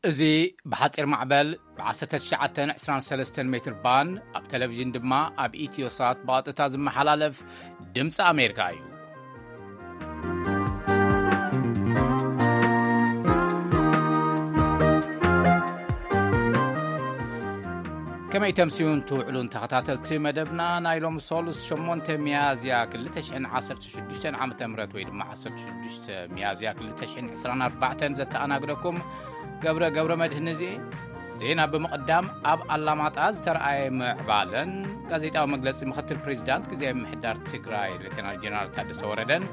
እዚ ብሓጺር ማዕበል ብ1923 ሜትር ባንድ ኣብ ቴሌቪዥን ድማ ኣብ ኢትዮሳት ብቐጥታ ዝመሓላለፍ ድምፂ ኣሜሪካ እዩ። ከመይ ተምስዩን ትውዕሉን ተኸታተልቲ መደብና፣ ናይ ሎም ሶሉስ 8 ሚያዝያ 2016 ዓ ም ወይ ድማ 16 ሚያዝያ 2024 ዘተኣናግደኩም ገብረ ገብረ መድህን እዚ። ዜና ብምቕዳም፣ ኣብ ኣላማጣ ዝተረኣየ ምዕባለን ጋዜጣዊ መግለጺ ምክትል ፕሬዚዳንት ግዜ ምሕዳር ትግራይ ሌተናል ጀነራል ታደሰ ወረደን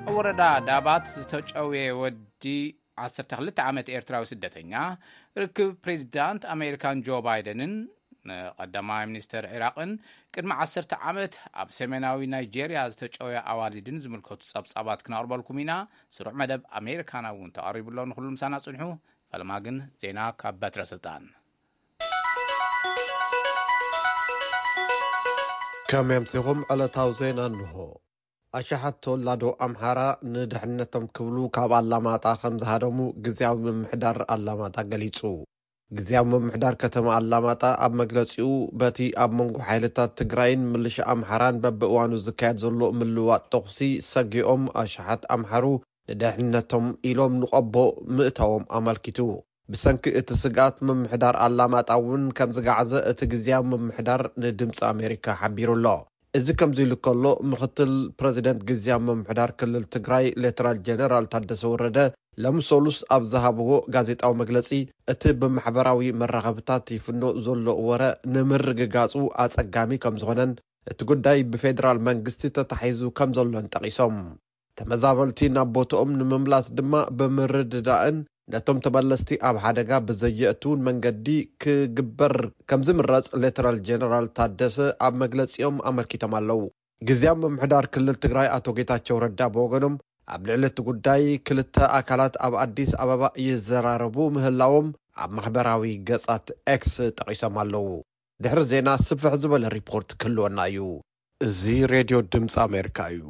ኣብ ወረዳ ዳባት ዝተጨውየ ወዲ 12 ዓመት ኤርትራዊ ስደተኛ፣ ርክብ ፕሬዚዳንት ኣሜሪካን ጆ ባይደንን ንቀዳማይ ሚኒስተር ዒራቕን ቅድሚ 10 ዓመት ኣብ ሰሜናዊ ናይጄርያ ዝተጨወየ ኣዋልድን ዝምልከቱ ጸብጻባት ክነቕርበልኩም ኢና። ስሩዕ መደብ ኣሜሪካና እውን ተቐሪቡ ኣሎ። ንኹሉ ምሳና ጽንሑ። ፈለማ ግን ዜና ካብ በትረ ስልጣን። ከም የምሲኹም ዕለታዊ ዜና እንሆ። ኣሽሓት ተወላዶ ኣምሓራ ንድሕነቶም ክብሉ ካብ ኣላማጣ ከም ዝሃደሙ ግዝያዊ ምምሕዳር ኣላማጣ ገሊጹ። ግዝያዊ ምምሕዳር ከተማ ኣላማጣ ኣብ መግለጺኡ፣ በቲ ኣብ መንጎ ሓይልታት ትግራይን ምልሻ ኣምሓራን በብእዋኑ ዝካየድ ዘሎ ምልዋጥ ተኹሲ ሰጊኦም ኣሽሓት ኣምሓሩ ንድሕነቶም ኢሎም ንቆቦ ምእታዎም ኣመልኪቱ። ብሰንኪ እቲ ስግኣት ምምሕዳር ኣላማጣ እውን ከም ዝገዓዘ እቲ ግዝያዊ ምምሕዳር ንድምፂ ኣሜሪካ ሓቢሩ ኣሎ። እዚ ከምዚ ኢሉ ከሎ፣ ምክትል ፕረዚደንት ግዝያዊ ምምሕዳር ክልል ትግራይ ሌተናል ጀነራል ታደሰ ወረደ ሎሚ ሰሉስ ኣብ ዝሃብዎ ጋዜጣዊ መግለጺ፣ እቲ ብማሕበራዊ መራኸብታት ይፍኖ ዘሎ ወረ ንምርግጋጹ ኣጸጋሚ ከም ዝኾነን፣ እቲ ጉዳይ ብፌደራል መንግስቲ ተታሒዙ ከም ዘሎን ጠቒሶም። ተመዛበልቲ ናብ ቦትኦም ንምምላስ ድማ ብምርድዳእን ነቶም ተመለስቲ ኣብ ሓደጋ ብዘየእትውን መንገዲ ክግበር ከም ዝምረጽ ሌተናል ጀነራል ታደሰ ኣብ መግለጺኦም ኣመልኪቶም ኣለዉ። ግዝያዊ ምምሕዳር ክልል ትግራይ ኣቶ ጌታቸው ረዳ ብወገኖም፣ ኣብ ልዕሊ እቲ ጉዳይ ክልተ ኣካላት ኣብ ኣዲስ ኣበባ ይዘራረቡ ምህላዎም ኣብ ማሕበራዊ ገጻት ኤክስ ጠቒሶም ኣለዉ። ድሕሪ ዜና ስፍሕ ዝበለ ሪፖርት ክህልወና እዩ። እዚ ሬድዮ ድምፂ ኣሜሪካ እዩ።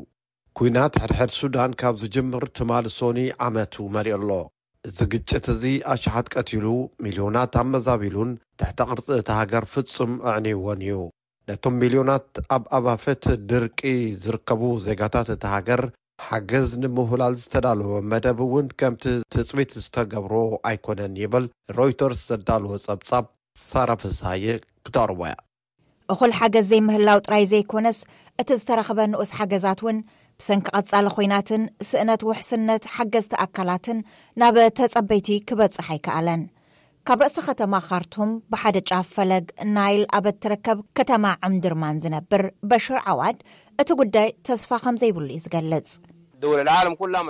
ኲናት ሕድሕድ ሱዳን ካብ ዝጅምር ትማሊ ሶኒ ዓመቱ መሊኡ ኣሎ። እዚ ግጭት እዚ ኣሽሓት ቀቲሉ፣ ሚልዮናት ኣመዛቢሉን ትሕተ ቅርጺ እታ ሃገር ፍጹም ኣዕንይዎን እዩ። ነቶም ሚልዮናት ኣብ ኣባፈት ድርቂ ዝርከቡ ዜጋታት እታ ሃገር ሓገዝ ንምውህላል ዝተዳለወ መደብ እውን ከምቲ ትጽቢት ዝተገብሮ ኣይኮነን ይብል ሮይተርስ ዘዳለወ ጸብጻብ። ሳራ ፍስሃየ ክተቕርቦ እያ። እኹል ሓገዝ ዘይምህላው ጥራይ ዘይኮነስ፣ እቲ ዝተረኽበ ንኡስ ሓገዛት እውን ብሰንኪ ቀጻሊ ኹናትን ስእነት ውሕስነት ሓገዝቲ ኣካላትን ናብ ተጸበይቲ ክበጽሕ ኣይከኣለን። ካብ ርእሲ ከተማ ካርቱም ብሓደ ጫፍ ፈለግ ናይል ኣብ እትርከብ ከተማ ዕምድርማን ዝነብር በሽር ዓዋድ፣ እቲ ጉዳይ ተስፋ ከም ዘይብሉ እዩ ዝገልጽ።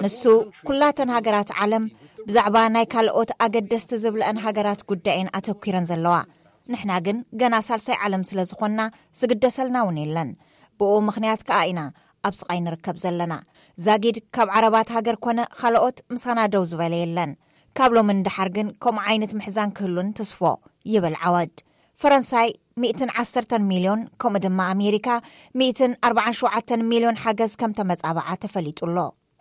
ንሱ፣ ኩላተን ሃገራት ዓለም ብዛዕባ ናይ ካልኦት ኣገደስቲ ዝብለአን ሃገራት ጉዳይ እየን ኣተኲረን ዘለዋ። ንሕና ግን ገና ሳልሳይ ዓለም ስለ ዝኾንና ዝግደሰልና እውን የለን። ብኡ ምኽንያት ከኣ ኢና ኣብ ስቓይ ንርከብ ዘለና። ዛጊድ ካብ ዓረባት ሃገር ኮነ ካልኦት ምሳና ደው ዝበለ የለን። ካብ ሎሚ ንደሓር ግን ከምኡ ዓይነት ምሕዛን ክህሉን ትስፎ፣ ይብል ዓወድ። ፈረንሳይ 110 ሚልዮን፣ ከምኡ ድማ ኣሜሪካ 147 ሚልዮን ሓገዝ ከም ተመጻብዓ ተፈሊጡ ኣሎ።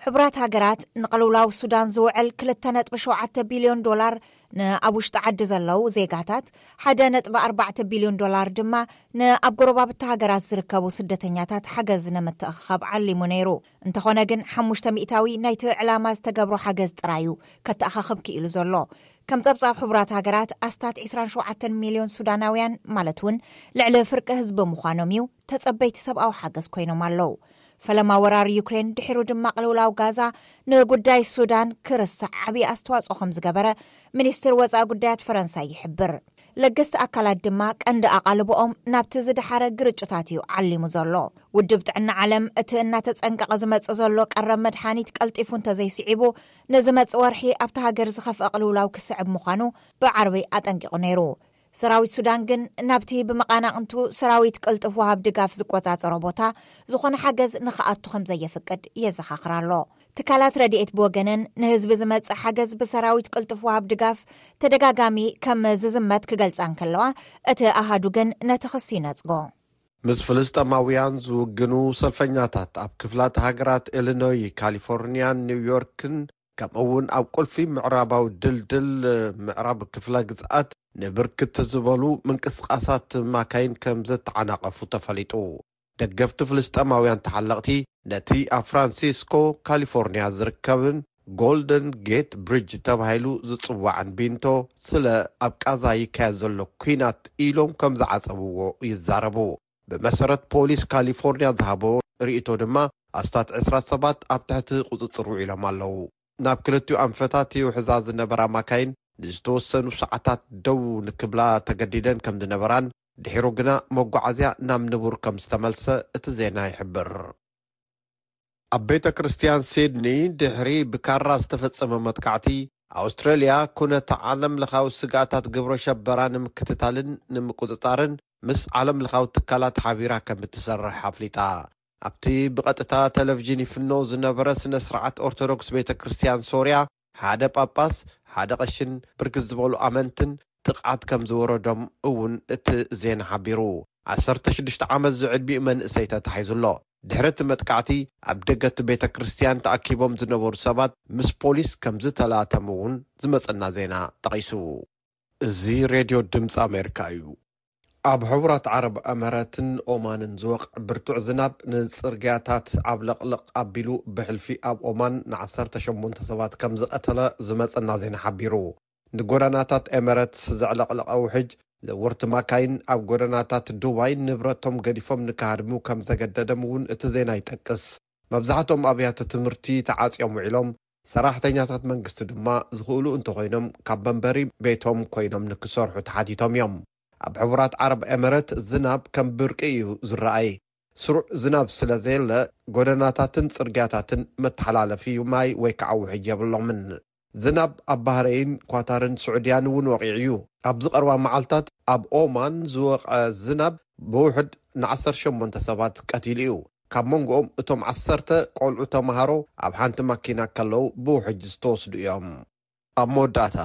ሕቡራት ሃገራት ንቕልውላው ሱዳን ዝውዕል 2.7 ቢልዮን ዶላር ንኣብ ውሽጢ ዓዲ ዘለዉ ዜጋታት፣ 1.4 ቢልዮን ዶላር ድማ ንኣብ ጎረባብቲ ሃገራት ዝርከቡ ስደተኛታት ሓገዝ ንምትእኽኻብ ዓሊሙ ነይሩ። እንተኾነ ግን፣ ሓሙሽተ ሚእታዊ ናይቲ ዕላማ ዝተገብሮ ሓገዝ ጥራይ እዩ ከተኣኻኽብ ክኢሉ ዘሎ። ከም ጸብጻብ ሕቡራት ሃገራት፣ ኣስታት 27 ሚልዮን ሱዳናውያን፣ ማለት እውን ልዕሊ ፍርቂ ህዝቢ ምዃኖም እዩ፣ ተጸበይቲ ሰብኣዊ ሓገዝ ኮይኖም ኣለዉ። ፈለማ ወራር ዩክሬን፣ ድሒሩ ድማ ቅልውላው ጋዛ፣ ንጉዳይ ሱዳን ክርስዕ ዓብዪ ኣስተዋጽኦ ከም ዝገበረ ሚኒስትር ወጻኢ ጉዳያት ፈረንሳ ይሕብር። ለገስቲ ኣካላት ድማ ቀንዲ ኣቓልቦኦም ናብቲ ዝደሓረ ግርጭታት እዩ ዓሊሙ ዘሎ። ውድብ ጥዕና ዓለም፣ እቲ እናተጸንቀቐ ዝመጽእ ዘሎ ቀረብ መድሓኒት ቀልጢፉ እንተዘይስዒቡ፣ ንዝመጽእ ወርሒ ኣብታ ሃገር ዝኸፍአ ቅልውላው ክስዕብ ምዃኑ ብዓርቢ ኣጠንቂቑ ነይሩ። ሰራዊት ሱዳን ግን፣ ናብቲ ብመቓናቕንቱ ሰራዊት ቅልጡፍ ወሃብ ድጋፍ ዝቆጻጸሮ ቦታ ዝኾነ ሓገዝ ንኽኣቱ ከም ዘየፍቅድ የዘኻኽር ኣሎ። ትካላት ረድኤት ብወገነን፣ ንህዝቢ ዝመጽእ ሓገዝ ብሰራዊት ቅልጡፍ ወሃብ ድጋፍ ተደጋጋሚ ከም ዝዝመት ክገልጻ እንከለዋ፣ እቲ ኣሃዱ ግን ነቲ ክሲ ይነጽጎ። ምስ ፍልስጤማውያን ዝውግኑ ሰልፈኛታት ኣብ ክፍላት ሃገራት ኢሊኖይ፣ ካሊፎርኒያን ኒውዮርክን ከምኡ እውን ኣብ ቁልፊ ምዕራባዊ ድልድል ምዕራብ ክፍለ ግዝኣት ንብርክት ዝበሉ ምንቅስቃሳት ማካይን ከም ዘተዓናቐፉ ተፈሊጡ። ደገፍቲ ፍልስጤማውያን ተሓለቕቲ ነቲ ኣብ ፍራንሲስኮ ካሊፎርኒያ ዝርከብን ጎልደን ጌት ብሪጅ ተባሂሉ ዝጽዋዕን ቢንቶ ስለ ኣብ ቃዛ ይካየድ ዘሎ ኲናት ኢሎም ከም ዝዓጸብዎ ይዛረቡ። ብመሰረት ፖሊስ ካሊፎርኒያ ዝሃቦ ርእይቶ ድማ ኣስታት ዕስራ ሰባት ኣብ ትሕቲ ቁጽጽር ውዒሎም ኣለዉ። ናብ ክልቲኡ ኣንፈታት ይውሕዛ ዝነበራ ማካይን ንዝተወሰኑ ሰዓታት ደው ንክብላ ተገዲደን ከም ዝነበራን ድሒሩ ግና መጓዓዝያ ናብ ንቡር ከም ዝተመልሰ እቲ ዜና ይሕብር። ኣብ ቤተ ክርስቲያን ሲድኒ ድሕሪ ብካራ ዝተፈጸመ መጥቃዕቲ ኣውስትራልያ ኩነተ ዓለም ለኻዊ ስግኣታት ግብረ ሸበራ ንምክትታልን ንምቁጽጻርን ምስ ዓለም ለኻዊ ትካላት ሓቢራ ከም እትሰርሕ ኣፍሊጣ። ኣብቲ ብቐጥታ ቴሌቪዥን ይፍኖ ዝነበረ ስነ ስርዓት ኦርቶዶክስ ቤተ ክርስቲያን ሶርያ ሓደ ጳጳስ፣ ሓደ ቀሽን ብርክት ዝበሉ ኣመንትን ጥቕዓት ከም ዝወረዶም እውን እቲ ዜና ሓቢሩ። ዓሰርተ ሽዱሽተ ዓመት ዝዕድሚኡ መንእሰይ ተታሒዙ ኣሎ። ድሕሪ እቲ መጥቃዕቲ ኣብ ደገ እቲ ቤተ ክርስቲያን ተኣኪቦም ዝነበሩ ሰባት ምስ ፖሊስ ከም ዝተላተሙ እውን ዝመጸና ዜና ጠቒሱ። እዚ ሬድዮ ድምፂ ኣሜሪካ እዩ። ኣብ ሕቡራት ዓረብ እመረትን ኦማንን ዝወቕዕ ብርቱዕ ዝናብ ንፅርግያታት ዓብለቕለቕ ኣቢሉ ብሕልፊ ኣብ ኦማን ንዓሰርተ ሸሞንተ ሰባት ከም ዝቐተለ ዝመፀና ዜና ሓቢሩ። ንጎደናታት ኤመረትስ ዘዕለቕለቐ ውሕጅ ዘወርቲ ማካይን ኣብ ጎደናታት ዱባይ ንብረቶም ገዲፎም ንክሃድሙ ከም ዘገደደም እውን እቲ ዜና ይጠቅስ። መብዛሕትኦም ኣብያተ ትምህርቲ ተዓፅዮም ውዒሎም፣ ሰራሕተኛታት መንግስቲ ድማ ዝኽእሉ እንተኾይኖም ካብ መንበሪ ቤቶም ኮይኖም ንክሰርሑ ተሓቲቶም እዮም። ኣብ ሕቡራት ዓረብ ኤመረት ዝናብ ከም ብርቂ እዩ ዝረኣይ። ስሩዕ ዝናብ ስለ ዘየለ ጎደናታትን ጽርግያታትን መተሓላለፊ ማይ ወይ ከዓ ውሕጅ የብሎምን። ዝናብ ኣብ ባህረይን ኳታርን ስዑድያን እውን ወቒዑ እዩ። ኣብዚ ቀረባ መዓልታት ኣብ ኦማን ዝወቕዐ ዝናብ ብውሕድ ንዓሰርተ ሸሞንተ ሰባት ቀቲሉ እዩ። ካብ መንጎኦም እቶም ዓሰርተ ቆልዑ ተምሃሮ ኣብ ሓንቲ ማኪና ከለዉ ብውሕጅ ዝተወስዱ እዮም። ኣብ መወዳእታ፣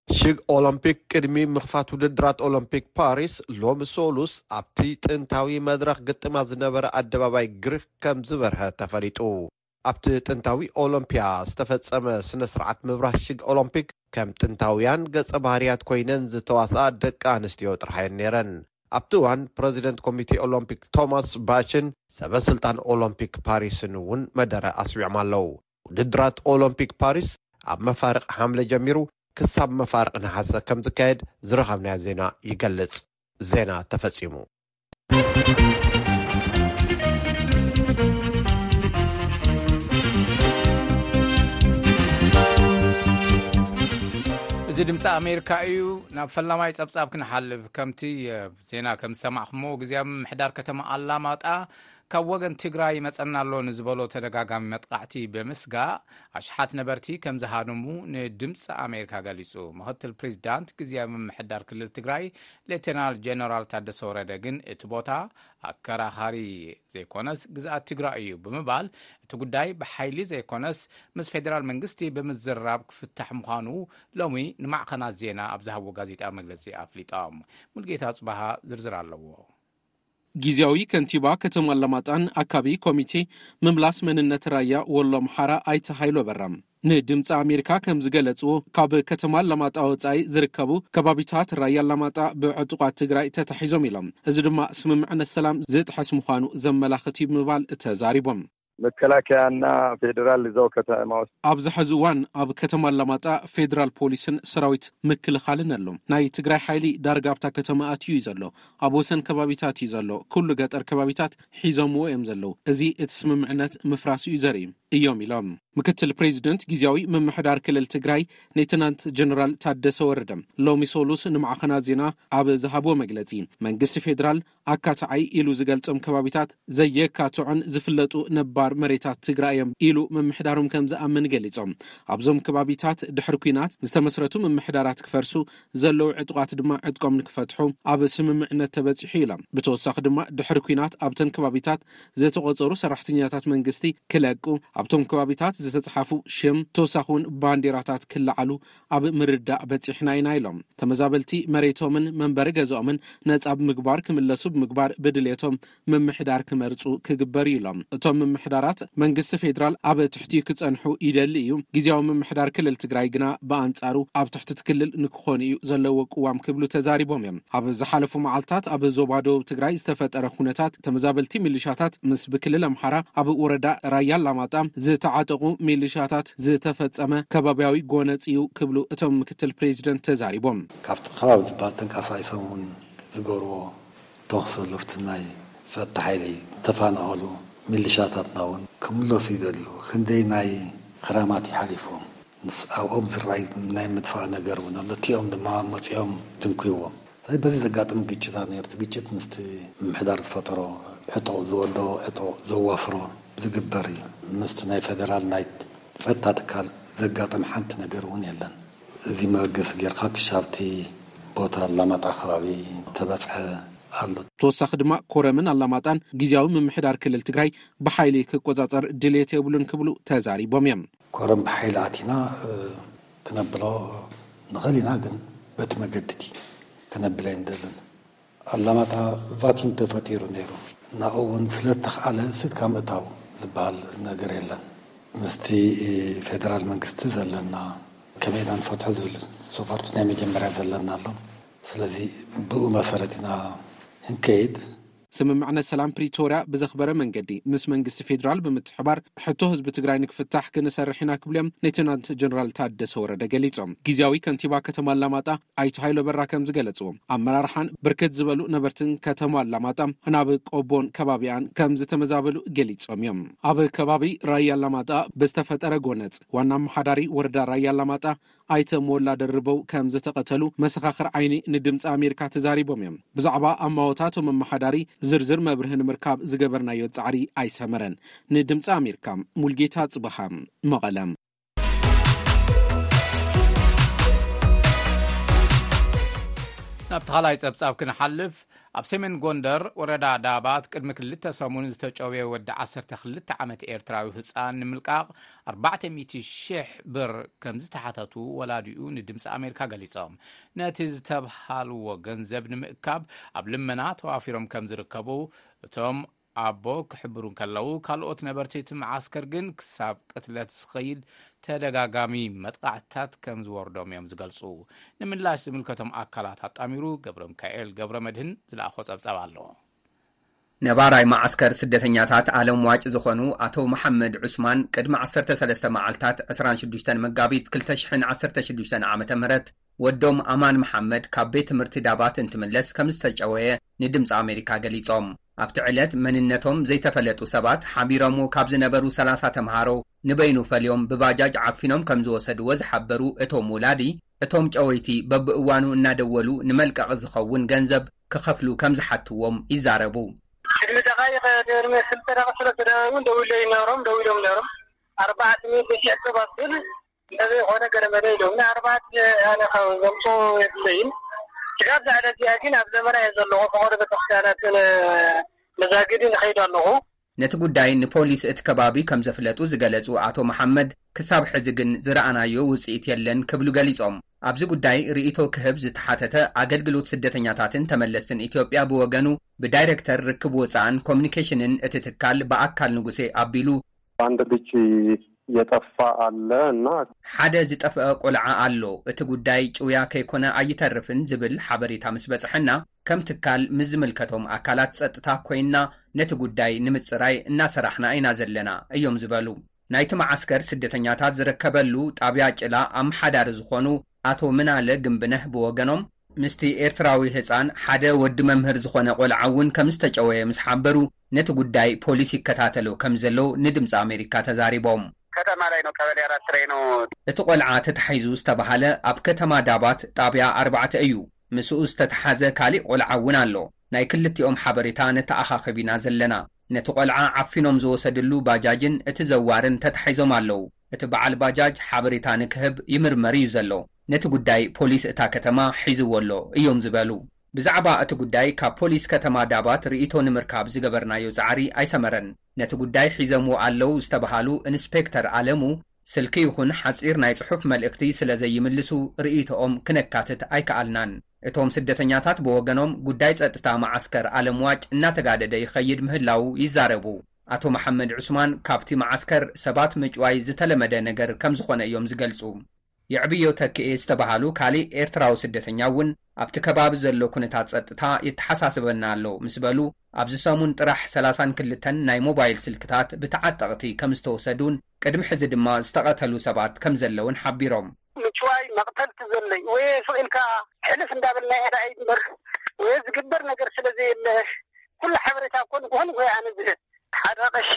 ሽግ ኦሎምፒክ ቅድሚ ምኽፋት ውድድራት ኦሎምፒክ ፓሪስ ሎሚ ሶሉስ ኣብቲ ጥንታዊ መድረኽ ግጥማ ዝነበረ ኣደባባይ ግሪክ ከም ዝበርሀ ተፈሊጡ። ኣብቲ ጥንታዊ ኦሎምፒያ ዝተፈጸመ ስነ ስርዓት ምብራህ ሽግ ኦሎምፒክ ከም ጥንታውያን ገጸ ባህርያት ኮይነን ዝተዋስኣ ደቂ ኣንስትዮ ጥራሕ እየን ነይረን። ኣብቲ እዋን ፕረዚደንት ኮሚቴ ኦሎምፒክ ቶማስ ባችን ሰበ ስልጣን ኦሎምፒክ ፓሪስን እውን መደረ ኣስዊዖም ኣለዉ። ውድድራት ኦሎምፒክ ፓሪስ ኣብ መፋርቕ ሓምለ ጀሚሩ ክሳብ መፋርቕ ነሓሰ ከም ዝካየድ ዝረኸብናዮ ዜና ይገልጽ። ዜና ተፈጺሙ። እዚ ድምፂ ኣሜሪካ እዩ። ናብ ፈላማይ ጸብጻብ ክንሓልፍ፣ ከምቲ ዜና ከም ዝሰማዕኹሞ፣ ግዜ ምምሕዳር ከተማ ኣላማጣ ካብ ወገን ትግራይ ይመጸና ኣሎ ንዝበሎ ተደጋጋሚ መጥቃዕቲ ብምስጋእ ኣሽሓት ነበርቲ ከም ዝሃደሙ ንድምፂ ኣሜሪካ ገሊጹ። ምኽትል ፕሬዚዳንት ግዝያዊ ምምሕዳር ክልል ትግራይ ሌተናል ጀነራል ታደሰ ወረደ ግን እቲ ቦታ ኣከራኻሪ ዘይኮነስ ግዝኣት ትግራይ እዩ ብምባል እቲ ጉዳይ ብሓይሊ ዘይኮነስ ምስ ፌዴራል መንግስቲ ብምዝራብ ክፍታሕ ምዃኑ ሎሚ ንማዕኸናት ዜና ኣብ ዝሃብዎ ጋዜጣዊ መግለጺ ኣፍሊጦም። ሙልጌታ ጽባሃ ዝርዝር ኣለዎ። ጊዜያዊ ከንቲባ ከተማ ኣላማጣን ኣካቢ ኮሚቴ ምምላስ መንነት ራያ ወሎ ኣምሓራ ኣይተ ሃይሎ በራ ንድምፂ ኣሜሪካ ከም ዝገለፅዎ፣ ካብ ከተማ ኣላማጣ ወፃኢ ዝርከቡ ከባቢታት ራያ ኣላማጣ ብዕጡቋት ትግራይ ተታሒዞም ኢሎም። እዚ ድማ ስምምዕነት ሰላም ዝጥሕስ ምዃኑ ዘመላኽት እዩ ብምባል ተዛሪቦም። መከላከያና ፌዴራል እዛው ከተማ ውስጥ ኣብዚ ሕዚ እዋን ኣብ ከተማ ኣላማጣ ፌዴራል ፖሊስን ሰራዊት ምክልኻልን ኣሎ። ናይ ትግራይ ሓይሊ ዳርጋ ኣብታ ከተማ ኣትዩ እዩ ዘሎ። ኣብ ወሰን ከባቢታት እዩ ዘሎ። ኩሉ ገጠር ከባቢታት ሒዞምዎ እዮም ዘለዉ። እዚ እቲ ስምምዕነት ምፍራሱ እዩ ዘርኢ እዮም ኢሎም። ምክትል ፕሬዚደንት ግዝያዊ ምምሕዳር ክልል ትግራይ ሌተናንት ጀነራል ታደሰ ወረደ ሎሚ ሶሉስ ንማዕኸናት ዜና ኣብ ዝሃብዎ መግለፂ፣ መንግስቲ ፌዴራል ኣካታዓይ ኢሉ ዝገልጾም ከባቢታት ዘየካትዑን ዝፍለጡ ነባር መሬታት ትግራይ እዮም ኢሉ ምምሕዳሮም ከም ዝኣምን ገሊጾም። ኣብዞም ከባቢታት ድሕሪ ኲናት ዝተመስረቱ ምምሕዳራት ክፈርሱ፣ ዘለዉ ዕጡቓት ድማ ዕጥቆም ንክፈትሑ ኣብ ስምምዕነት ተበጺሑ ኢሎም። ብተወሳኺ ድማ ድሕሪ ኲናት ኣብተን ከባቢታት ዝተቖጸሩ ሰራሕተኛታት መንግስቲ ክለቁ፣ ኣብቶም ከባቢታት ዝተጻሓፉ ሽም ተወሳኺ እውን ባንዴራታት ክለዓሉ ኣብ ምርዳእ በጺሕና ኢና ኢሎም። ተመዛበልቲ መሬቶምን መንበሪ ገዛኦምን ነጻ ብምግባር ክምለሱ ብምግባር ብድሌቶም ምምሕዳር ክመርጹ ክግበር እዩ ኢሎም። እቶም ምምሕዳር ምምሕዳራት መንግስቲ ፌዴራል ኣብ ትሕቲኡ ክጸንሑ ይደሊ እዩ። ግዜያዊ ምምሕዳር ክልል ትግራይ ግና ብኣንጻሩ ኣብ ትሕቲ እቲ ክልል ንክኾኑ እዩ ዘለዎ ቅዋም ክብሉ ተዛሪቦም እዮም። ኣብ ዝሓለፉ መዓልታት ኣብ ዞባ ደቡብ ትግራይ ዝተፈጠረ ኩነታት ተመዛበልቲ ሚሊሻታት ምስ ብክልል ኣምሓራ ኣብ ወረዳ ራያ ኣላማጣ ዝተዓጠቑ ሚሊሻታት ዝተፈጸመ ከባቢያዊ ጎነጽ እዩ ክብሉ እቶም ምክትል ፕሬዚደንት ተዛሪቦም። ካብቲ ከባቢ ዝበሃል ተንቀሳቒሶም እውን ዝገብርዎ ተኹሲ ኣለፍቲ ናይ ጸጥታ ሓይሊ ዝተፈናቐሉ ሚሊሻታትና እውን ክምለሱ ይደልዩ። ክንደይ ናይ ክራማት ይሓሊፉ ምስ ኣብኦም ዝረኣይ ናይ ምጥፋእ ነገር እውን ኣሎ። እቲኦም ድማ መጺኦም ድንኩይዎም። ስለዚህ በዚ ዘጋጥም ግጭታት ነርት ግጭት ምስቲ ምምሕዳር ዝፈጠሮ ሕቶ ዝወደኦ ሕቶ ዘዋፍሮ ዝግበር እዩ። ምስቲ ናይ ፌደራል ናይ ጸጥታ ትካል ዘጋጥም ሓንቲ ነገር እውን የለን። እዚ መበገሲ ጌርካ ክሻብቲ ቦታ ኣላማጣ ከባቢ ተበጽሐ ኣሎ። ተወሳኺ ድማ ኮረምን ኣላማጣን ግዜያዊ ምምሕዳር ክልል ትግራይ ብሓይሊ ክቆጻጸር ድልየት የብሉን ክብሉ ተዛሪቦም እዮም። ኮረም ብሓይሊ ኣቲና ክነብሎ ንኽእል ኢና፣ ግን በቲ መገዲ እቲ ክነብል ኣይንደልን። ኣላማጣ ቫኪም ተፈጢሩ ነይሩ። ናብኡ እውን ስለ ዝተኽኣለ ስድካ ምእታው ዝበሃል ነገር የለን። ምስቲ ፌደራል መንግስቲ ዘለና ከመይ ኢና ንፈትሖ ዝብል ሶፋርቲ ናይ መጀመርያ ዘለና ኣሎ። ስለዚ ብኡ መሰረት ኢና ክንከይድ። ስምምዕነት ሰላም ፕሪቶርያ ብዘኽበረ መንገዲ ምስ መንግስቲ ፌዴራል ብምትሕባር ሕቶ ህዝቢ ትግራይ ንክፍታሕ ክንሰርሕ ኢና ክብሉ እዮም ሌተናንት ጀነራል ታደሰ ወረደ ገሊጾም። ግዜያዊ ከንቲባ ከተማ ኣላማጣ ኣይቱ ሃይሎ በራ ከም ዝገለጽዎ ኣመራርሓን ብርክት ዝበሉ ነበርትን ከተማ ኣላማጣ ናብ ቆቦን ከባቢያን ከም ዝተመዛበሉ ገሊጾም እዮም። ኣብ ከባቢ ራያ ኣላማጣ ብዝተፈጠረ ጎነጽ ዋና ኣመሓዳሪ ወረዳ ራያ ኣላማጣ ኣይተ ሞላ ደርበው ከም ዝተቐተሉ መሰኻኽር ዓይኒ ንድምፂ ኣሜሪካ ተዛሪቦም እዮም። ብዛዕባ ኣማወታቶም ኣመሓዳሪ ዝርዝር መብርሂ ንምርካብ ዝገበርናዮ ጻዕሪ ኣይሰመረን። ንድምፂ ኣሜሪካ ሙልጌታ ጽበሃ መቐለም። ናብቲ ካልኣይ ጸብጻብ ክንሓልፍ፣ ኣብ ሰሜን ጎንደር ወረዳ ዳባት ቅድሚ ክልተ ሰሙን ዝተጨውየ ወዲ ዓሰርተ ክልተ ዓመት ኤርትራዊ ህጻን ንምልቃቕ ኣርባዕተ ሚእቲ ሽሕ ብር ከም ዝተሓተቱ ወላዲኡ ንድምፂ ኣሜሪካ ገሊጾም። ነቲ ዝተብሃልዎ ገንዘብ ንምእካብ ኣብ ልመና ተዋፊሮም ከም ዝርከቡ እቶም ኣቦ ክሕብሩ እንከለዉ፣ ካልኦት ነበርቲ እቲ መዓስከር ግን ክሳብ ቅትለት ዝኸይድ ተደጋጋሚ መጥቃዕትታት ከም ዝወርዶም እዮም ዝገልጹ። ንምላሽ ዝምልከቶም ኣካላት ኣጣሚሩ ገብረ ሚካኤል ገብረ መድህን ዝለኣኾ ጸብጻብ ኣሎ። ነባራይ መዓስከር ስደተኛታት ኣለም ዋጭ ዝኾኑ ኣቶ መሓመድ ዑስማን ቅድሚ ዓሰርተ ሰለስተ መዓልታት ዕስራን ሽዱሽተን መጋቢት ክልተ ሽሕን ዓሰርተ ሽዱሽተን ዓመተ ምህረት ወዶም ኣማን መሓመድ ካብ ቤት ትምህርቲ ዳባት እንትምለስ ከም ዝተጨወየ ንድምፂ ኣሜሪካ ገሊፆም። ኣብቲ ዕለት መንነቶም ዘይተፈለጡ ሰባት ሓቢሮምዎ ካብ ዝነበሩ ሰላሳ ተምሃሮ ንበይኑ ፈልዮም ብባጃጅ ዓፊኖም ከም ዝወሰድዎ ዝሓበሩ እቶም ወላዲ፣ እቶም ጨወይቲ በብእዋኑ እናደወሉ ንመልቀቒ ዝኸውን ገንዘብ ክኸፍሉ ከም ዝሓትዎም ይዛረቡ። ቅድሚ ደቓይቕ፣ ቅድሚ ክልተ ደቂቕ፣ ሰለስተ ደቂቕ እውን ደዊለ ነይሮም፣ ደዊሎም ነይሮም። ኣርባዕተ ሚእቲ ሺሕ ሰብ ኣብል ነዚ ኾነ ገለ መለ ኢሎም። ንኣርባዕተ ኣነ ካብ ዘምፅኡ የብለይን። ስጋብ ዛዕዳ እዚኣ ግን ኣብ ዘመና እየ ዘለኹ። ፈቐዶ ቤተክርስትያናትን መዛግድን እኸይድ ኣለኹ። ነቲ ጉዳይ ንፖሊስ እቲ ከባቢ ከም ዘፍለጡ ዝገለጹ ኣቶ መሓመድ፣ ክሳብ ሕዚ ግን ዝረኣናዮ ውጽኢት የለን ክብሉ ገሊጾም። ኣብዚ ጉዳይ ርእይቶ ክህብ ዝተሓተተ ኣገልግሎት ስደተኛታትን ተመለስትን ኢትዮጵያ ብወገኑ፣ ብዳይሬክተር ርክብ ወጻእን ኮሚኒኬሽንን እቲ ትካል ብኣካል ንጉሴ ኣቢሉ፣ አንድ ልጅ የጠፋ አለ እና ሓደ ዝጠፍአ ቆልዓ ኣሎ፣ እቲ ጉዳይ ጭውያ ከይኮነ ኣይተርፍን ዝብል ሓበሬታ ምስ በጽሐና፣ ከም ትካል ምስ ዝምልከቶም ኣካላት ጸጥታ ኮይንና ነቲ ጉዳይ ንምጽራይ እናሰራሕና ኢና ዘለና እዮም ዝበሉ። ናይቲ መዓስከር ስደተኛታት ዝርከበሉ ጣብያ ጭላ ኣመሓዳሪ ዝኾኑ ኣቶ ምናለ ግንብነህ ብወገኖም፣ ምስቲ ኤርትራዊ ህጻን ሓደ ወዲ መምህር ዝኾነ ቆልዓ እውን ከም ዝተጨወየ ምስ ሓበሩ፣ ነቲ ጉዳይ ፖሊስ ይከታተሎ ከም ዘሎ ንድምጺ ኣሜሪካ ተዛሪቦም። ከተማ ላይ ነው፣ ቀበሌ አራት ላይ ነው። እቲ ቆልዓ ተታሒዙ ዝተባሃለ ኣብ ከተማ ዳባት ጣብያ ኣርባዕተ እዩ። ምስኡ ዝተተሓዘ ካሊእ ቆልዓ እውን ኣሎ። ናይ ክልቲኦም ሓበሬታ ነተኣኻኽብ ኢና ዘለና። ነቲ ቆልዓ ዓፊኖም ዝወሰድሉ ባጃጅን እቲ ዘዋርን ተታሒዞም ኣለዉ። እቲ በዓል ባጃጅ ሓበሬታ ንክህብ ይምርመር እዩ ዘሎ። ነቲ ጉዳይ ፖሊስ እታ ከተማ ሒዝዎ ኣሎ እዮም ዝበሉ። ብዛዕባ እቲ ጉዳይ ካብ ፖሊስ ከተማ ዳባት ርእይቶ ንምርካብ ዝገበርናዮ ጻዕሪ ኣይሰመረን። ነቲ ጉዳይ ሒዘምዎ ኣለዉ ዝተባሃሉ ኢንስፔክተር ኣለሙ፣ ስልኪ ይኹን ሓጺር ናይ ጽሑፍ መልእኽቲ ስለ ዘይምልሱ ርእይቶኦም ክነካትት ኣይከኣልናን። እቶም ስደተኛታት ብወገኖም፣ ጉዳይ ጸጥታ መዓስከር ኣለምዋጭ እናተጋደደ ይኸይድ ምህላዉ ይዛረቡ። ኣቶ መሓመድ ዑስማን፣ ካብቲ መዓስከር ሰባት ምጭዋይ ዝተለመደ ነገር ከም ዝኾነ እዮም ዝገልጹ። የዕብዮ ተክኤ ዝተባሃሉ ካሊእ ኤርትራዊ ስደተኛ እውን፣ ኣብቲ ከባቢ ዘሎ ኩነታት ጸጥታ የተሓሳስበና ኣሎ ምስ በሉ፣ ኣብዚ ሰሙን ጥራሕ ሰላሳን ክልተን ናይ ሞባይል ስልክታት ብተዓጠቕቲ ከም ዝተወሰዱን ቅድሚ ሕዚ ድማ ዝተቐተሉ ሰባት ከም ዘለውን ሓቢሮም። ምጭዋይ መቕተልቲ ዘለይ ወይ ስቕ ኢልካ ሕልፍ እንዳበልና ኢና እምበር ወይ ዝግበር ነገር ስለ ዘየለ፣ ኩሉ ሓበሬታ እኮ ንግሆ ንግሆ ኣነ ዝህብ። ሓደ ቀሺ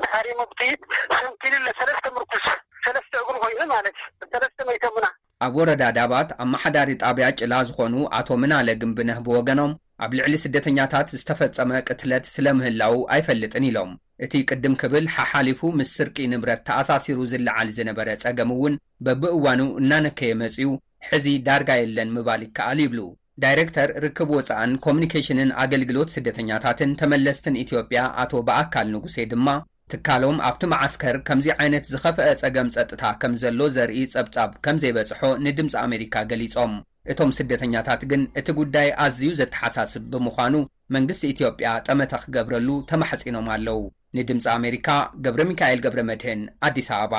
ተሃሪሙ ብጥይት ሰንኪሉ ኣሎ። ሰለስተ ምርኩስ፣ ሰለስተ እግሩ ኮይኑ ማለት እዩ። ሰለስተ መይተሙና። ኣብ ወረዳ ዳባት ኣመሓዳሪ ጣብያ ጭላ ዝኾኑ ኣቶ ምናለ ግንብነህ ብወገኖም፣ ኣብ ልዕሊ ስደተኛታት ዝተፈጸመ ቅትለት ስለ ምህላዉ ኣይፈልጥን ኢሎም። እቲ ቅድም ክብል ሓሓሊፉ ምስ ስርቂ ንብረት ተኣሳሲሩ ዝለዓል ዝነበረ ጸገም እውን በብእዋኑ እናነከየ መጺኡ፣ ሕዚ ዳርጋ የለን ምባል ይከኣል ይብሉ። ዳይሬክተር ርክብ ወጻእን ኮሚኒኬሽንን ኣገልግሎት ስደተኛታትን ተመለስትን ኢትዮጵያ ኣቶ በኣካል ንጉሴ ድማ፣ ትካሎም ኣብቲ መዓስከር ከምዚ ዓይነት ዝኸፍአ ጸገም ጸጥታ ከም ዘሎ ዘርኢ ጸብጻብ ከም ዘይበጽሖ ንድምጺ ኣሜሪካ ገሊጾም። እቶም ስደተኛታት ግን እቲ ጉዳይ ኣዝዩ ዘተሓሳስብ ብምዃኑ መንግስቲ ኢትዮጵያ ጠመተ ክገብረሉ ተማሕጺኖም ኣለዉ። ንድምጺ ኣሜሪካ ገብረ ሚካኤል ገብረ መድህን፣ ኣዲስ ኣበባ።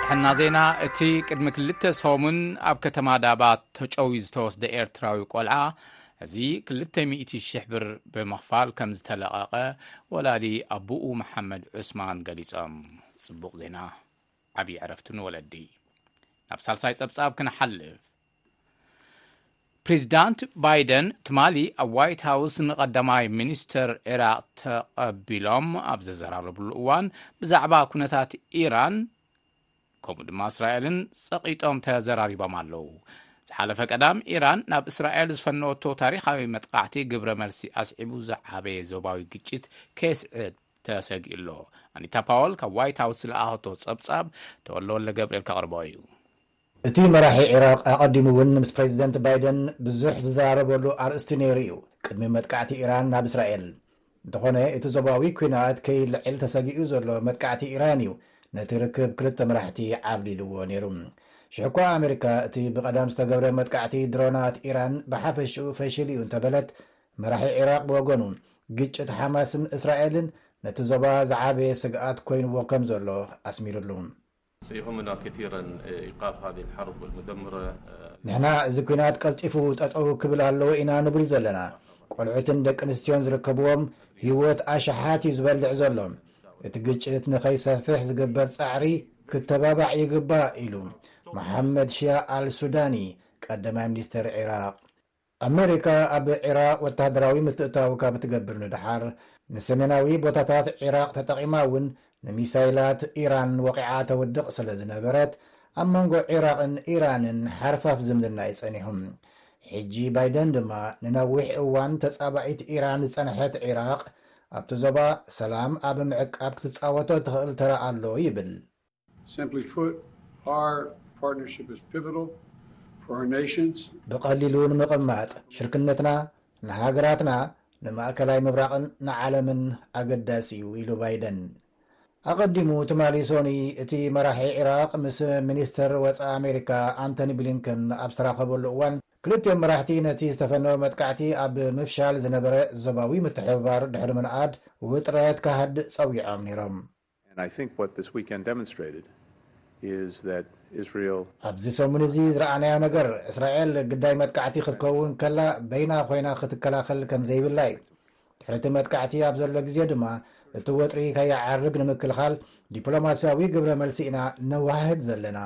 ጥዕና ዜና። እቲ ቅድሚ ክልተ ሰሙን ኣብ ከተማ ዳባት ተጨውዩ ዝተወስደ ኤርትራዊ ቆልዓ፣ እዚ ክልተ ሚእቲ ሽሕ ብር ብምኽፋል ከም ዝተለቐቐ ወላዲ ኣቡኡ መሓመድ ዑስማን ገሊጾም። ጽቡቕ ዜና፣ ዓብዪ ዕረፍቲ ንወለዲ። ናብ ሳልሳይ ጸብጻብ ክንሓልፍ። ፕሬዚዳንት ባይደን ትማሊ ኣብ ዋይት ሃውስ ንቐዳማይ ሚኒስተር ዒራቕ ተቐቢሎም ኣብ ዘዘራረብሉ እዋን፣ ብዛዕባ ኩነታት ኢራን ከምኡ ድማ እስራኤልን ጸቒጦም ተዘራሪቦም ኣለዉ። ዝሓለፈ ቀዳም ኢራን ናብ እስራኤል ዝፈነወቶ ታሪኻዊ መጥቃዕቲ ግብረ መልሲ ኣስዒቡ ዝዓበየ ዞባዊ ግጭት ከየስዕብ ተሰጊኡ ኣሎ። ኣኒታ ፓወል ካብ ዋይት ሃውስ ዝለኣኸቶ ጸብጻብ ተወልደ ወልደ ገብርኤል ከቕርቦ እዩ። እቲ መራሒ ዒራቕ ኣቐዲሙ እውን ምስ ፕሬዚደንት ባይደን ብዙሕ ዝዘራረበሉ ኣርእስቲ ነይሩ እዩ። ቅድሚ መጥቃዕቲ ኢራን ናብ እስራኤል እንተኾነ፣ እቲ ዞባዊ ኲናት ከይልዕል ተሰጊኡ ዘሎ መጥቃዕቲ ኢራን እዩ ነቲ ርክብ ክልተ መራሕቲ ዓብሊልዎ ነይሩ። ሽሕ እኳ ኣሜሪካ እቲ ብቐዳም ዝተገብረ መጥቃዕቲ ድሮናት ኢራን ብሓፈሽኡ ፈሽል እዩ እንተበለት፣ መራሒ ዒራቕ ብወገኑ፣ ግጭት ሓማስን እስራኤልን ነቲ ዞባ ዝዓበየ ስግኣት ኮይንዎ ከም ዘሎ ኣስሚሩሉ። سيهمنا كثيرا إيقاف هذه الحرب المدمرة. ንሕና እዚ ኲናት ቀልጢፉ ጠጠው ክብል ኣለዎ ኢና ንብል ዘለና። ቆልዑትን ደቂ ኣንስትዮን ዝርከብዎም ህይወት ኣሽሓት እዩ ዝበልዕ ዘሎ። እቲ ግጭት ንኸይሰፍሕ ዝግበር ጻዕሪ ክተባባዕ ይግባእ ኢሉ መሓመድ ሽያ ኣል ሱዳኒ ቀዳማይ ሚኒስተር ዒራቕ። ኣመሪካ ኣብ ዒራቕ ወተሃደራዊ ምትእትታው ካብ ትገብር ንደሓር፣ ንሰሜናዊ ቦታታት ዒራቕ ተጠቒማ እውን ንሚሳይላት ኢራን ወቒዓ ተውድቕ ስለ ዝነበረት፣ ኣብ መንጎ ዒራቕን ኢራንን ሓርፋፍ ዝምድና እዩ ጸኒሑ። ሕጂ ባይደን ድማ ንነዊሕ እዋን ተጻባኢት ኢራን ዝጸንሐት ዒራቕ፣ ኣብቲ ዞባ ሰላም ኣብ ምዕቃብ ክትጻወቶ ትኽእል ተራ ኣሎ ይብል። Simply put, our partnership is pivotal for our nations. ብቐሊሉ ንምቕማጥ፣ ሽርክነትና ንሃገራትና ንማእከላይ ምብራቕን ንዓለምን ኣገዳሲ እዩ ኢሉ ባይደን። ኣቐዲሙ ትማሊ ሶኒ እቲ መራሒ ዒራቕ ምስ ሚኒስተር ወጻኢ ኣሜሪካ ኣንቶኒ ብሊንከን ኣብ ዝተራኸበሉ እዋን፣ ክልቲኦም መራሕቲ ነቲ ዝተፈነወ መጥቃዕቲ ኣብ ምፍሻል ዝነበረ ዞባዊ ምትሕብባር ድሕሪ ምንኣድ ውጥረት ክሃድእ ጸዊዖም ነይሮም። And I think what this weekend demonstrated is that Israel ኣብዚ ሰሙን እዚ ዝረኣናዮ ነገር፣ እስራኤል ግዳይ መጥቃዕቲ ክትከውን ከላ በይና ኮይና ክትከላኸል ከም ዘይብላ እዩ። ድሕሪ እቲ መጥቃዕቲ ኣብ ዘሎ ግዜ ድማ፣ እቲ ወጥሪ ከይዓርግ ንምክልኻል ዲፕሎማስያዊ ግብረ መልሲ ኢና ነወሃህድ ዘለና።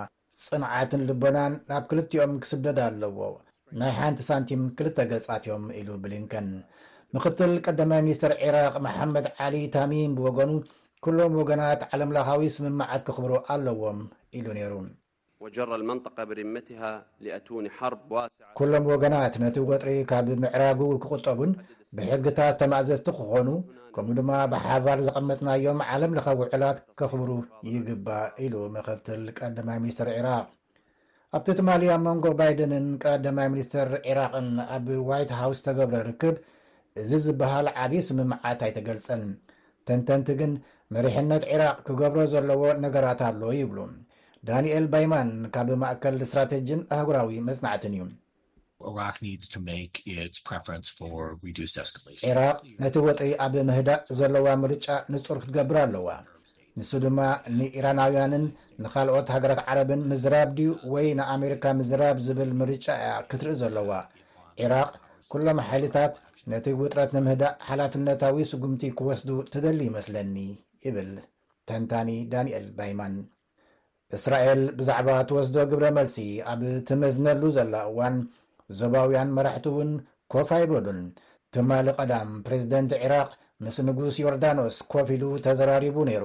ጽንዓትን ልቦናን ናብ ክልቲኦም ክስደድ ኣለዎ። ናይ ሓንቲ ሳንቲም ክልተ ገጻት እዮም ኢሉ ብሊንከን። ምክትል ቀዳማይ ሚኒስተር ዒራቕ መሓመድ ዓሊ ታሚም ብወገኑ፣ ኩሎም ወገናት ዓለምለኻዊ ስምምዓት ከኽብሩ ኣለዎም ኢሉ ነይሩ። وجر المنطقة برمتها لأتون حرب واسعة. ኩሎም ወገናት ነቲ ወጥሪ ካብ ምዕራጉ ክቑጠቡን ብሕግታት ተማእዘዝቲ ክኾኑ፣ ከምኡ ድማ ብሓባር ዘቐመጥናዮም ዓለም ለኻዊ ውዕላት ከኽብሩ ይግባእ ኢሉ ምክትል ቀዳማይ ሚኒስተር ዒራቕ። ኣብቲ ትማሊ ኣብ መንጎ ባይደንን ቀዳማይ ሚኒስተር ዒራቕን ኣብ ዋይት ሃውስ ዝተገብረ ርክብ፣ እዚ ዝበሃል ዓብዪ ስምምዓት ኣይተገልጸን። ተንተንቲ ግን፣ መሪሕነት ዒራቕ ክገብሮ ዘለዎ ነገራት ኣሎ ይብሉ። ዳንኤል ባይማን ካብ ማእከል ስትራተጂን ኣህጉራዊ መጽናዕትን እዩ። Iraq needs to make its preference for reduced escalation. ኢራቅ ነቲ ወጥሪ ኣብ ምህዳእ ዘለዋ ምርጫ ንጹር ክትገብር ኣለዋ። ንሱ ድማ ንኢራናውያንን ንኻልኦት ሃገራት ዓረብን ምዝራብ ድዩ ወይ ንኣሜሪካ ምዝራብ ዝብል ምርጫ እያ ክትርኢ ዘለዋ። ኢራቅ ኩሎም ሓይልታት ነቲ ውጥረት ንምህዳእ ሓላፍነታዊ ስጉምቲ ክወስዱ ትደሊ ይመስለኒ፣ ይብል ተንታኒ ዳንኤል ባይማን። እስራኤል ብዛዕባ ትወስዶ ግብረ መልሲ ኣብ ትመዝነሉ ዘላ እዋን፣ ዞባውያን መራሕቲ እውን ኮፍ ኣይበሉን። ትማሊ ቀዳም ፕሬዝደንት ዒራቅ ምስ ንጉስ ዮርዳኖስ ኮፍ ኢሉ ተዘራሪቡ ነይሩ።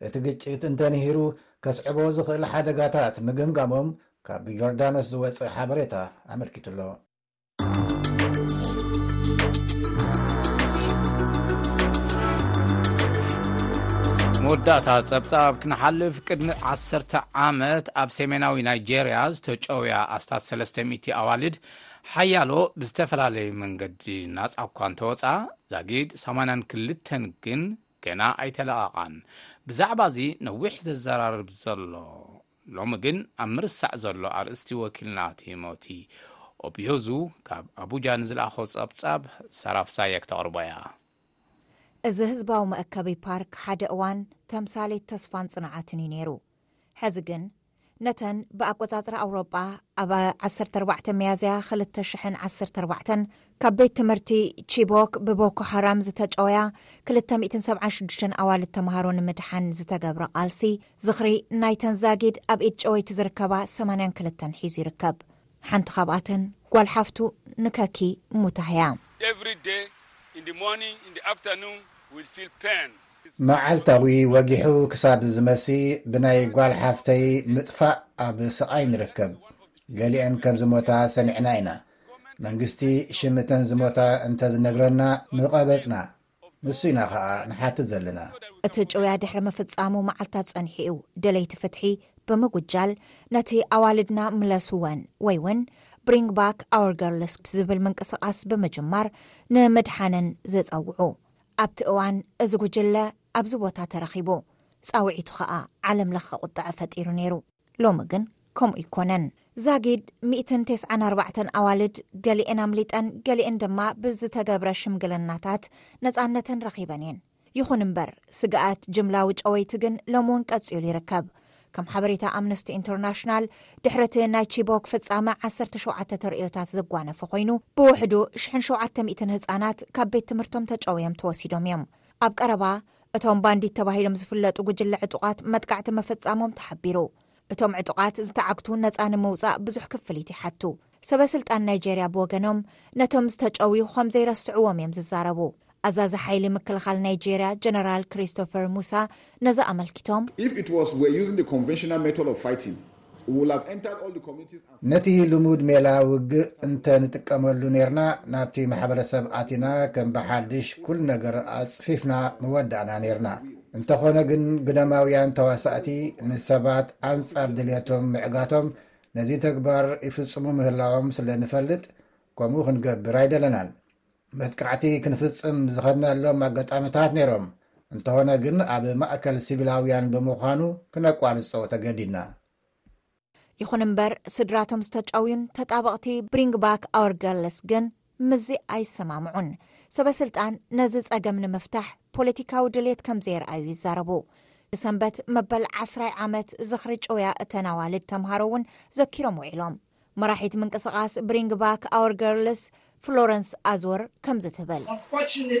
እቲ ግጭት እንተንሂሩ ከስዕቦ ዝኽእል ሓደጋታት ምግምጋሞም ካብ ዮርዳኖስ ዝወፅእ ሓበሬታ ኣመልኪቱሎ። መወዳእታ ጸብጻብ ክንሓልፍ፣ ቅድሚ ዓሰርተ ዓመት ኣብ ሰሜናዊ ናይጄርያ ዝተጨውያ ኣስታት ሰለስተ ሚእቲ ኣዋልድ ሓያሎ ብዝተፈላለየ መንገዲ ናጻ እኳ እንተወጻ፣ ዛጊድ ሰማንያን ክልተን ግን ገና ኣይተለቓቓን። ብዛዕባ እዚ ነዊሕ ዘዘራርብ ዘሎ ሎሚ ግን ኣብ ምርሳዕ ዘሎ ኣርእስቲ ወኪልና ቲሞቲ ኦብዮዙ ካብ ኣቡጃ ንዝለኣኾ ጸብጻብ ሰራፍሳየ ክተቕርቦ እያ። እዚ ህዝባዊ መእከቢ ፓርክ ሓደ እዋን ተምሳሌት ተስፋን ጽንዓትን እዩ ነይሩ። ሕዚ ግን ነተን ብኣቆጻጽራ ኣውሮጳ ኣብ ዓሰርተ ኣርባዕተ ሚያዝያ ክልተ ሽሕን ዓሰርተ ኣርባዕተን ካብ ቤት ትምህርቲ ቺቦክ ብቦኮ ሓራም ዝተጨወያ ክልተ ሚእትን ሰብዓን ሽዱሽተን ኣዋልድ ተምሃሮ ንምድሓን ዝተገብረ ቃልሲ ዝኽሪ ናይተን ዛጊድ ኣብ ኢድ ጨወይቲ ዝርከባ ሰማንያን ክልተን ሒዙ ይርከብ። ሓንቲ ካብኣተን ጓል ሓፍቱ ንከኪ ሙታህያ። Every day, in the morning, in the afternoon, we feel pain. መዓልታዊ ወጊሑ ክሳብ ዝመሲ ብናይ ጓል ሓፍተይ ምጥፋእ ኣብ ስቓይ ንርከብ። ገሊአን ከም ዝሞታ ሰሚዕና ኢና። መንግስቲ ሽምተን ዝሞታ እንተዝነግረና ምቐበጽና። ንሱ ኢና ኸኣ ንሓትት ዘለና። እቲ ጭውያ ድሕሪ ምፍጻሙ መዓልታት ጸኒሑ እዩ። ደለይቲ ፍትሒ ብምጉጃል ነቲ ኣዋልድና ምለስወን ወይ እውን Bring Back Our Girls ዝብል ምንቅስቓስ ብምጅማር ንምድሓነን ዝጸውዑ። ኣብቲ እዋን እዚ ጉጅለ ኣብዚ ቦታ ተረኺቡ፣ ጻውዒቱ ኸኣ ዓለም ለኸ ቁጥዐ ፈጢሩ ነይሩ። ሎሚ ግን ከምኡ ኣይኮነን። ዛጊድ ሚእትን ተስዓን ኣርባዕተን ኣዋልድ ገሊኤን ኣምሊጠን፣ ገሊኤን ድማ ብዝተገብረ ሽምግልናታት ነጻነተን ረኺበን እየን። ይኹን እምበር ስግኣት ጅምላዊ ጨወይቲ ግን ሎሚ እውን ቀጺሉ ይርከብ። ከም ሓበሬታ ኣምነስቲ ኢንተርናሽናል፣ ድሕሪ እቲ ናይ ቺቦክ ፍጻመ ዓሰርተ ሸውዓተ ተርእዮታት ዘጓነፈ ኮይኑ፣ ብውሕዱ ሽሕን ሸውዓተ ሚእትን ህጻናት ካብ ቤት ትምህርቶም ተጨውዮም ተወሲዶም እዮም። ኣብ ቀረባ እቶም ባንዲት ተባሂሎም ዝፍለጡ ጉጅለ ዕጡቓት መጥቃዕቲ ምፍጻሞም ተሓቢሩ። እቶም ዕጡቓት ዝተዓግቱ ነጻ ንምውጻእ ብዙሕ ክፍሊት ይሓቱ። ሰበ ስልጣን ናይጄርያ ብወገኖም ነቶም ዝተጨውዩ ከም ዘይረስዕዎም እዮም ዝዛረቡ። ኣዛዚ ሓይሊ ምክልኻል ናይጄርያ ጀነራል ክሪስቶፈር ሙሳ ነዚ ኣመልኪቶም፣ If it was we're using the conventional method of fighting, we will have entered all the communities and ነቲ ልሙድ ሜላ ውግእ እንተ ንጥቀመሉ ኔርና፣ ናብቲ ማሕበረሰብ ኣቲና ከም ብሓድሽ ኩሉ ነገር ኣጽፊፍና ምወዳእና ኔርና። እንተኾነ ግን ብደማውያን ተዋሳእቲ ንሰባት ኣንጻር ድልየቶም ምዕጋቶም ነዚ ተግባር ይፍጽሙ ምህላዎም ስለ ንፈልጥ ከምኡ ክንገብር ኣይደለናን። መጥቃዕቲ ክንፍጽም ዝኸድናሎም ኣጋጣምታት ነይሮም። እንተኾነ ግን ኣብ ማእከል ሲቪላውያን ብምዃኑ ክነቋርጾ ተገዲድና። ይኹን እምበር ስድራቶም ዝተጨውዩን ተጣበቕቲ Bring Back Our Girls ግን ምስዚ ኣይሰማምዑን። ሰበ ስልጣን ነዚ ጸገም ንምፍታሕ ፖለቲካዊ ድሌት ከም ዘየርኣዩ ይዛረቡ። ብሰንበት መበል ዓስራይ ዓመት ዝኽሪ ጭውያ እተን ኣዋልድ ተምሃሮ እውን ዘኪሮም ውዒሎም። መራሒት ምንቅስቓስ Bring Back Our Girls ፍሎረንስ ኣዝወር ከምዚ ትብል። Unfortunately,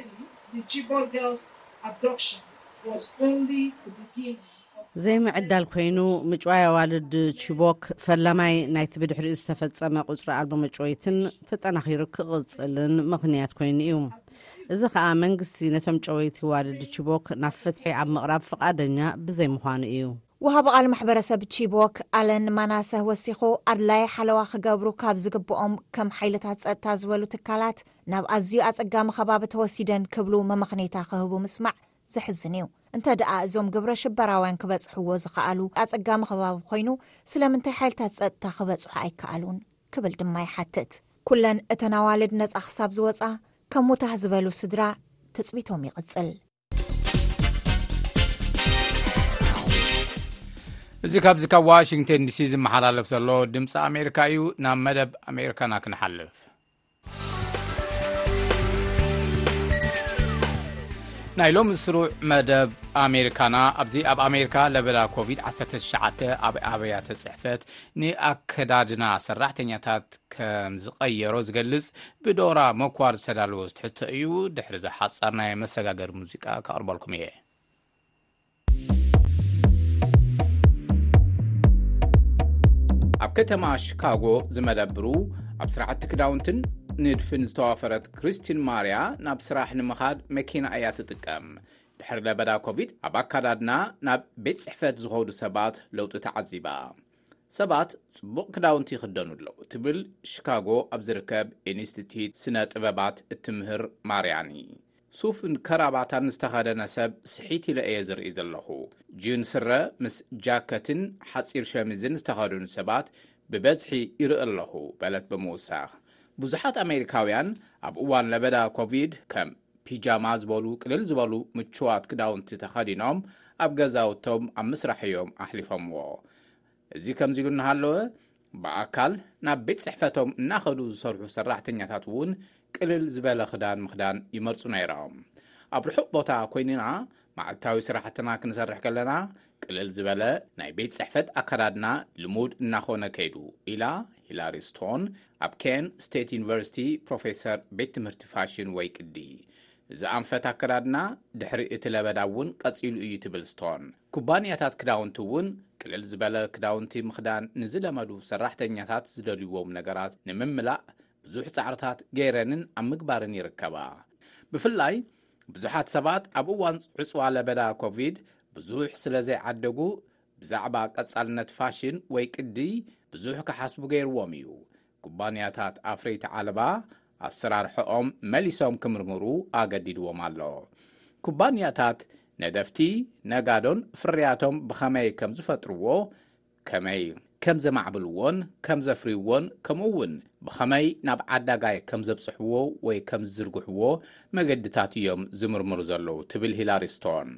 the Chibok girls' abduction was only the beginning. ዘይምዕዳል ኮይኑ ምጭዋይ ኣዋልድ ቺቦክ ፈላማይ ናይቲ ብድሕሪኡ ዝተፈጸመ ቁጽሪ ኣልቦ መጭወይትን ተጠናኺሩ ክቕጽልን ምኽንያት ኮይኑ እዩ። እዚ ኸኣ መንግስቲ ነቶም ጨወይቲ ዋልድ ቺቦክ ናብ ፍትሒ ኣብ ምቕራብ ፍቓደኛ ብዘይምዃኑ እዩ። ወሃቢ ቃል ማሕበረሰብ ቺቦክ ኣለን ማናሰህ ወሲኹ፣ ኣድላይ ሓለዋ ክገብሩ ካብ ዝግብኦም ከም ሓይልታት ጸጥታ ዝበሉ ትካላት ናብ ኣዝዩ ኣጸጋሚ ከባቢ ተወሲደን ክብሉ መመኽኔታ ክህቡ ምስማዕ ዘሕዝን እዩ። እንተ ደኣ እዞም ግብረ ሽበራውያን ክበጽሕዎ ዝኸኣሉ ኣጸጋሚ ከባቢ ኮይኑ፣ ስለምንታይ ሓይልታት ጸጥታ ክበጽሑ ኣይከኣሉን ክብል ድማ ይሓትት። ኩለን እተን ኣዋልድ ነጻ ክሳብ ዝወጻ ከም ሙታህ ዝበሉ ስድራ ትጽቢቶም ይቕጽል። እዚ ካብዚ ካብ ዋሽንግተን ዲሲ ዝመሓላለፍ ዘሎ ድምፂ ኣሜሪካ እዩ። ናብ መደብ ኣሜሪካና ክንሓልፍ። ናይ ሎሚ ስሩዕ መደብ ኣሜሪካና፣ ኣብዚ ኣብ ኣሜሪካ ለበዳ ኮቪድ ዓሰርተ ትሽዓተ ኣብ ኣብያተ ጽሕፈት ንኣከዳድና ሰራሕተኛታት ከም ዝቐየሮ ዝገልጽ ብዶራ መኳር ዝተዳለወ ዝትሕዝቶ እዩ። ድሕሪ ዝሓጻር ናይ መሰጋገሪ ሙዚቃ ከቕርበልኩም እየ። ኣብ ከተማ ሺካጎ ዝመደብሩ፣ ኣብ ስራሕቲ ክዳውንትን ንድፍን ዝተዋፈረት ክሪስቲን ማርያ፣ ናብ ስራሕ ንምኻድ መኪና እያ ትጥቀም። ድሕሪ ለበዳ ኮቪድ ኣብ ኣካዳድና ናብ ቤት ጽሕፈት ዝኸዱ ሰባት ለውጢ ተዓዚባ። ሰባት ጽቡቕ ክዳውንቲ ይኽደኑ ኣለዉ ትብል ሺካጎ ኣብ ዝርከብ ኢንስቲትዩት ስነ ጥበባት እትምህር ማርያኒ። ሱፍን ከራባታን ዝተኸደነ ሰብ ስሒት ኢለ እየ ዝርኢ ዘለኹ። ጂን ስረ ምስ ጃከትን ሓጺር ሸሚዝን ዝተኸደኑ ሰባት ብበዝሒ ይርኢ ኣለኹ፣ በለት ብምውሳኽ። ብዙሓት ኣሜሪካውያን ኣብ እዋን ለበዳ ኮቪድ ከም ፒጃማ ዝበሉ ቅልል ዝበሉ ምቹዋት ክዳውንቲ ተኸዲኖም ኣብ ገዛውቶም ኣብ ምስራሕ እዮም ኣሕሊፎምዎ። እዚ ከምዚ ኢሉ እናሃለወ፣ ብኣካል ናብ ቤት ጽሕፈቶም እናኸዱ ዝሰርሑ ሰራሕተኛታት እውን ቅልል ዝበለ ክዳን ምኽዳን ይመርጹ ነይሮም። ኣብ ርሑቕ ቦታ ኮይንና መዓልታዊ ስራሕትና ክንሰርሕ ከለና፣ ቅልል ዝበለ ናይ ቤት ጽሕፈት ኣከዳድና ልሙድ እናኾነ ከይዱ፣ ኢላ ሂላሪ ስቶን፣ ኣብ ኬን ስቴት ዩኒቨርሲቲ ፕሮፌሰር ቤት ትምህርቲ ፋሽን ወይ ቅዲ። እዚ ኣንፈት ኣከዳድና ድሕሪ እቲ ለበዳ እውን ቀጺሉ እዩ ትብል ስቶን። ኩባንያታት ክዳውንቲ እውን ቅልል ዝበለ ክዳውንቲ ምኽዳን ንዝለመዱ ሰራሕተኛታት ዝደልይዎም ነገራት ንምምላእ ብዙሕ ጻዕርታት ገይረንን ኣብ ምግባርን ይርከባ። ብፍላይ ብዙሓት ሰባት ኣብ እዋን ዕጽዋ ለበዳ ኮቪድ ብዙሕ ስለ ዘይዓደጉ፣ ብዛዕባ ቀጻልነት ፋሽን ወይ ቅዲ ብዙሕ ክሓስቡ ገይርዎም እዩ። ኩባንያታት ኣፍረይቲ ዓለባ ኣሰራርሕኦም መሊሶም ክምርምሩ ኣገዲድዎም ኣሎ። ኩባንያታት ነደፍቲ፣ ነጋዶን ፍርያቶም ብኸመይ ከም ዝፈጥርዎ፣ ከመይ ከም ዘማዕብልዎን ከም ዘፍርይዎን፣ ከምኡ እውን ብኸመይ ናብ ዓዳጋይ ከም ዘብጽሕዎ ወይ ከም ዝዝርግሕዎ መገድታት እዮም ዝምርምሩ ዘለዉ ትብል ሂላሪ ስቶን።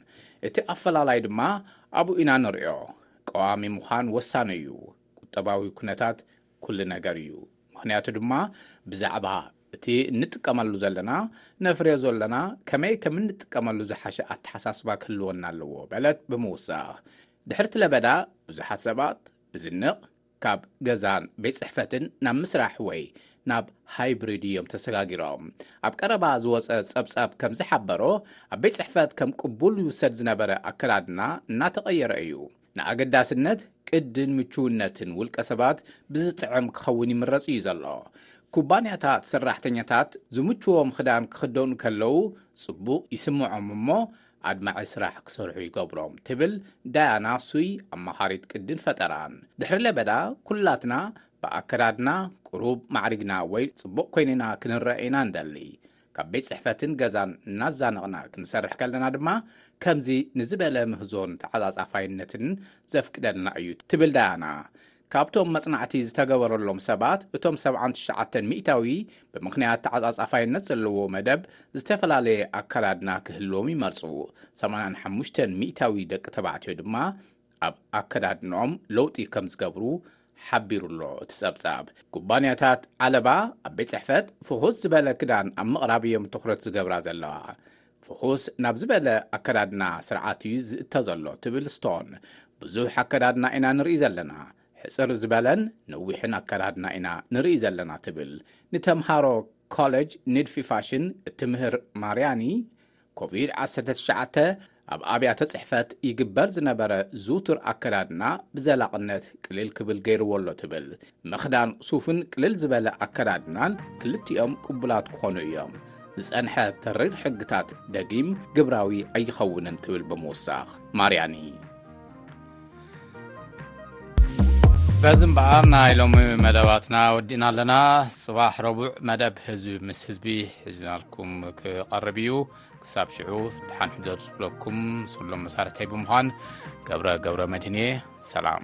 እቲ ኣፈላላይ ድማ ኣብኡ ኢና ንርእዮ። ቀዋሚ ምዃን ወሳኒ እዩ። ቁጠባዊ ኩነታት ኩሉ ነገር እዩ። ምኽንያቱ ድማ ብዛዕባ እቲ እንጥቀመሉ ዘለና፣ ነፍርዮ ዘለና፣ ከመይ ከም እንጥቀመሉ ዝሓሸ ኣተሓሳስባ ክህልወና ኣለዎ፣ በለት ብምውሳኽ። ድሕርቲ ለበዳ ብዙሓት ሰባት ብዝንቕ ካብ ገዛን ቤት ጽሕፈትን ናብ ምስራሕ ወይ ናብ ሃይብሪድ እዮም ተሰጋጊሮም። ኣብ ቀረባ ዝወጸ ጸብጻብ ከም ዝሓበሮ፣ ኣብ ቤት ጽሕፈት ከም ቅቡል ይውሰድ ዝነበረ ኣከዳድና እናተቐየረ እዩ። ንኣገዳስነት ቅድን ምቹውነትን ውልቀ ሰባት ብዝጥዕም ክኸውን ይምረጽ እዩ ዘሎ። ኩባንያታት ሰራሕተኛታት ዝምችዎም ክዳን ክኽደኑ ከለዉ ጽቡቕ ይስምዖም እሞ፣ ኣድማዒ ስራሕ ክሰርሑ ይገብሮም ትብል ዳያና ሱይ፣ ኣማኻሪት ቅድን ፈጠራን። ድሕሪ ለበዳ ኩላትና ብኣከዳድና ቅሩብ ማዕሪግና ወይ ጽቡቕ ኮይንና ክንረአ ኢና እንደሊ። ካብ ቤት ጽሕፈትን ገዛን እናዛነቕና ክንሰርሕ ከለና ድማ ከምዚ ንዝበለ ምህዞን ተዓጻጻፋይነትን ዘፍቅደልና እዩ ትብል ዳያና። ካብቶም መጽናዕቲ ዝተገበረሎም ሰባት እቶም ሰብዓን ትሽዓተን ሚእታዊ ብምኽንያት ተዓጻጻፋይነት ዘለዎ መደብ ዝተፈላለየ ኣከዳድና ክህልዎም ይመርጹ። ሰማንያን ሓሙሽተን ሚእታዊ ደቂ ተባዕትዮ ድማ ኣብ ኣከዳድንኦም ለውጢ ከም ዝገብሩ ሓቢሩ ኣሎ እቲ ጸብጻብ። ኩባንያታት ዓለባ ኣብ ቤት ጽሕፈት ፍኹስ ዝበለ ክዳን ኣብ ምቕራብ እዮም ትኹረት ዝገብራ ዘለዋ። ፍኹስ ናብ ዝበለ ኣከዳድና ስርዓት እዩ ዝእተ ዘሎ ትብል ስቶን። ብዙሕ ኣከዳድና ኢና ንርኢ ዘለና። ሕጽር ዝበለን ነዊሕን ኣከዳድና ኢና ንርኢ ዘለና ትብል ንተምሃሮ ኮሌጅ ንድፊ ፋሽን እትምህር ማርያኒ፣ ኮቪድ ዓሰርተ ትሽዓተ ኣብ ኣብያተ ጽሕፈት ይግበር ዝነበረ ዝውቱር ኣከዳድና ብዘላቕነት ቅልል ክብል ገይርዎ ኣሎ ትብል። ምኽዳን ሱፍን ቅልል ዝበለ ኣከዳድናን ክልቲኦም ቅቡላት ክኾኑ እዮም። ዝጸንሐ ተሪር ሕግታት ደጊም ግብራዊ ኣይኸውንን ትብል ብምውሳኽ ማርያኒ። በዚ እምበኣር ናይ ሎሚ መደባትና ወዲእና ኣለና። ጽባሕ ረቡዕ መደብ ህዝቢ ምስ ህዝቢ ሒዝናልኩም ክቐርብ እዩ። ክሳብ ሽዑ ደሓን ሕደሩ ዝብለኩም ሰሎም መሳርሕተይ ብምዃን ገብረ ገብረ መድህን እየ። ሰላም።